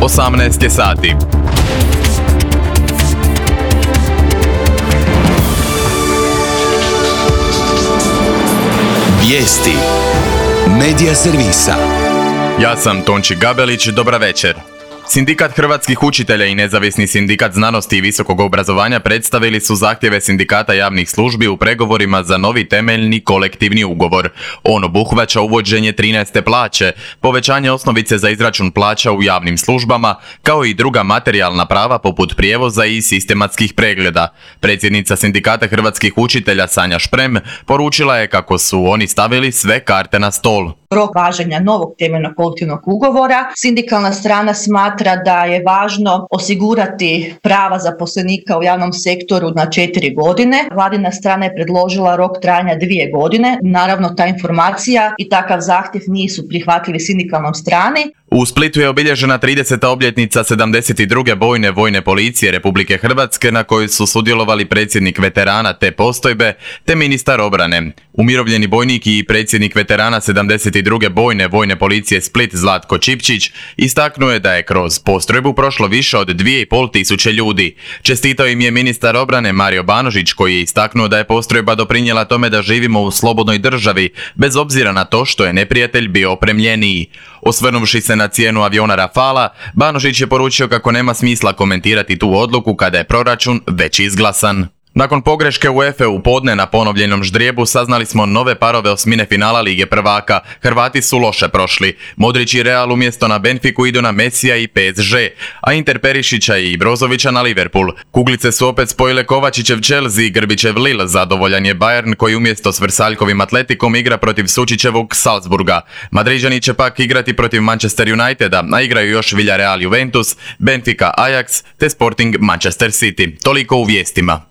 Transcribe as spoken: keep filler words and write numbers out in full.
osamnaest je sati. Vijesti Medija servisa. Ja sam Tonči Gabelić, dobra večer. Sindikat hrvatskih učitelja i nezavisni sindikat znanosti i visokog obrazovanja predstavili su zahtjeve sindikata javnih službi u pregovorima za novi temeljni kolektivni ugovor. On obuhvaća uvođenje trinaeste plaće, povećanje osnovice za izračun plaća u javnim službama, kao i druga materijalna prava poput prijevoza i sistematskih pregleda. Predsjednica sindikata hrvatskih učitelja Sanja Šprem poručila je kako su oni stavili sve karte na stol. Rok važenja novog temeljnog kolektivnog ugovora. Sindikalna strana smatra da je važno osigurati prava zaposlenika u javnom sektoru na četiri godine. Vladina strana je predložila rok trajanja dvije godine. Naravno, ta informacija i takav zahtjev nisu prihvatljivi sindikalnom strani. U Splitu je obilježena trideseta obljetnica sedamdeset druge bojne vojne policije Republike Hrvatske na kojoj su sudjelovali predsjednik veterana te postojbe te ministar obrane. Umirovljeni bojnik i predsjednik veterana sedamdeset druge bojne vojne policije Split Zlatko Čipčić istaknuo je da je kroz postrojbu prošlo više od dvije i pol tisuće ljudi. Čestitao im je ministar obrane Mario Banožić koji je istaknuo da je postrojba doprinijela tome da živimo u slobodnoj državi, bez obzira na to što je neprijatelj bio opremljeniji. Osvrnuvši se na cijenu aviona Rafala, Banožić je poručio kako nema smisla komentirati tu odluku kada je proračun već izglasan. Nakon pogreške UEFA u podne na ponovljenom ždrijebu saznali smo nove parove osmine finala Lige prvaka. Hrvati su loše prošli. Modrić i Real umjesto na Benfiku idu na Mesija i P S G, a Inter Perišića i Brozovića na Liverpool. Kuglice su opet spojile Kovačićev Chelsea i Grbićev Lille. Zadovoljan je Bayern koji umjesto s Vrsaljkovim Atletikom igra protiv Sučićevog Salzburga. Madriđani će pak igrati protiv Manchester Uniteda, a igraju još Villarreal Juventus, Benfica Ajax te Sporting Manchester City. Toliko u vijestima.